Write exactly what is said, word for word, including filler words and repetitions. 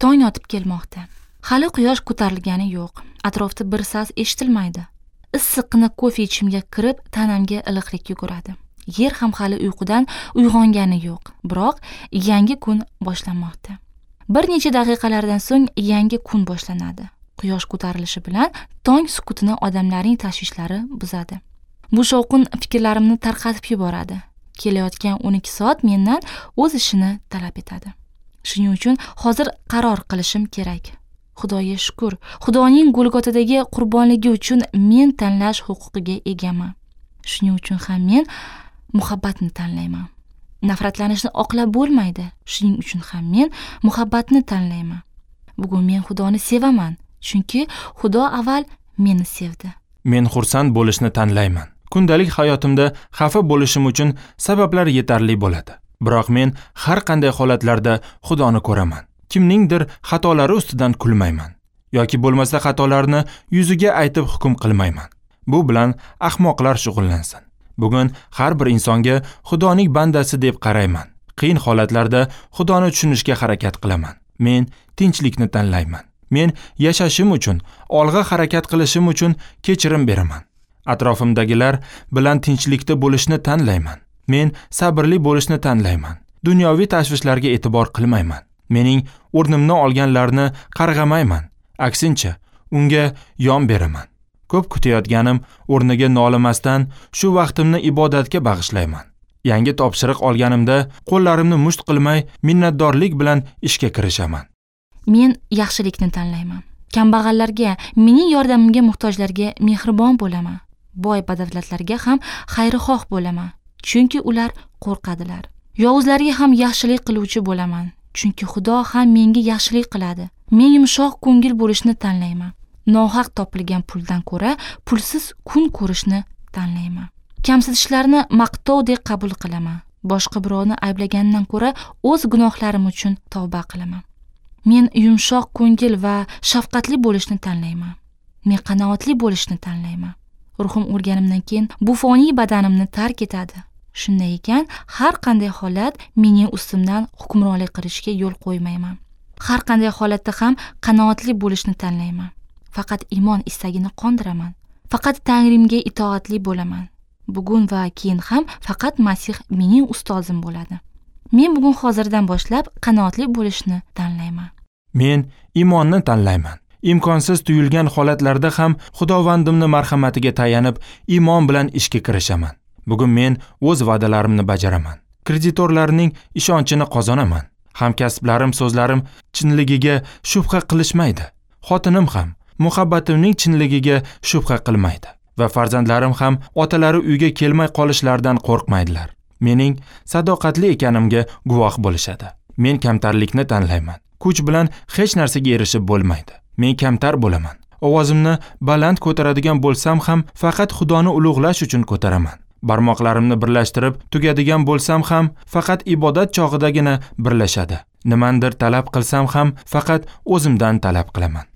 Tong otib kelmoqda. Hali quyosh ko'tarilgani yo'q. Atrofda bir sas eshitilmaydi. Issiqqina kofe ichimga kirib, tanamga iliqlik yuguradi. Yer ham hali uyqudan uyg'ongani yo'q. Biroq yangi kun boshlanmoqda. Bir necha daqiqalardan so'ng yangi kun boshlanadi. Quyosh ko'tarilishi bilan tong sukutini odamlarning tashvishlari buzadi. Bu shovqin fikrlarimni tarqatib yuboradi. Kelayotgan o'n ikki soat mendan o'z ishini talab etadi. Shuning uchun hozir qaror qilishim kerak. Xudoga shukr, Xudoning Golgotadagi qurbonligi uchun men tanlash huquqiga egaman. Shuning uchun ham men muhabbatni tanlayman. Nafratlanishni oqlab bo'lmaydi. Shuning uchun ham men muhabbatni tanlayman. Bugun men Xudoni sevaman, chunki Xudo avval meni sevdi. Men xursand bo'lishni tanlayman. Kundalik hayotimda xafa bo'lishim uchun sabablar yetarli bo'ladi. Biroq men har qanday holatlarda Xudoni ko'raman. Kimningdir xatolari ustidan kulmayman yoki bo'lmasa xatolarni yuziga aytib hukm qilmayman. Bu bilan ahmoqlar shug'ullansin. Bugun har bir insonga Xudoning bandasi deb qarayman. Qiyin holatlarda Xudoni tushunishga harakat qilaman. Men tinchlikni tanlayman. Men yashashim uchun, olg'a harakat qilishim uchun kechirim beraman. Atrofimdagilar bilan tinchlikda bo'lishni tanlayman. Men sabrli bo'lishni tanlayman. Dunyoviy tashvishlarga e'tibor qilmayman. Mening o'rnimni olganlarni qarg'amayman. Aksincha, unga yon beraman. Ko'p kutayotganim o'rniga nolimasdan shu vaqtimni ibodatga bag'ishlayman. Yangi topshiriq olganimda qo'llarimni musht qilmay, minnatdorlik bilan ishga kirishaman. Men yaxshilikni tanlayman. Kambag'allarga, mening yordamimga muhtojlarga mehribon bo'laman. Boy badavlatlarga ham xayrixoh bo'laman, chunki ular qo'rqadilar. Yovuzlarga ham yaxshilik qiluvchi bo'laman, chunki Xudo ham menga yaxshilik qiladi. Men yumshoq ko'ngil bo'lishni tanlayman. Nohaq topilgan puldan ko'ra pulsiz kun ko'rishni tanlayman. Kamsitishlarni maqtovdek qabul qilaman. Boshqa birovni ayblagandan ko'ra o'z gunohlarim uchun tavba qilaman. Men yumshoq ko'ngil va shafqatli bo'lishni tanlayman. Men qanoatli bo'lishni tanlayman. Ruhim o'lganimdan keyin bu foniy badanimni tark etadi. Shunday ekan, har qanday holat mening ustimdan hukmronlik qilishga yo'l qo'ymayman. Har qanday holatda ham qanoatli bo'lishni tanlayman. Faqat iymon istagini qondiraman. Faqat Tangrimga itoatli bo'laman. Bugun va keyin ham faqat Masih mening ustozim bo'ladi. Men bugun hozirdan boshlab qanoatli bo'lishni tanlayman. Men iymonni tanlayman. Imkonsiz tuyulgan holatlarda ham Xudovandimni marhamatiga tayanib, iymon bilan ishga kirishaman. Bugun men o'z va'dalarimni bajaraman. Kreditorlarning ishonchini qozonaman. Hamkasblarim so'zlarim chinligiga shubha qilishmaydi. Xotinim ham muhabbatimning chinligiga shubha qilmaydi va farzandlarim ham otalari uyga kelmay qolishlaridan qo'rqmaydilar. Mening sadoqatli ekanimga guvoh bo'lishadi. Men kamtarlikni tanlayman. Kuch bilan hech narsaga erishib bo'lmaydi. Men kamtar bo'laman. Ovozimni baland ko'taradigan bo'lsam ham faqat Xudoni ulug'lash uchun ko'taraman. Barmoqlarimni birlashtirib tugadigan bo'lsam ham faqat ibodat chog'idagina birlashadi. Nimandir talab qilsam ham faqat o'zimdan talab qilaman.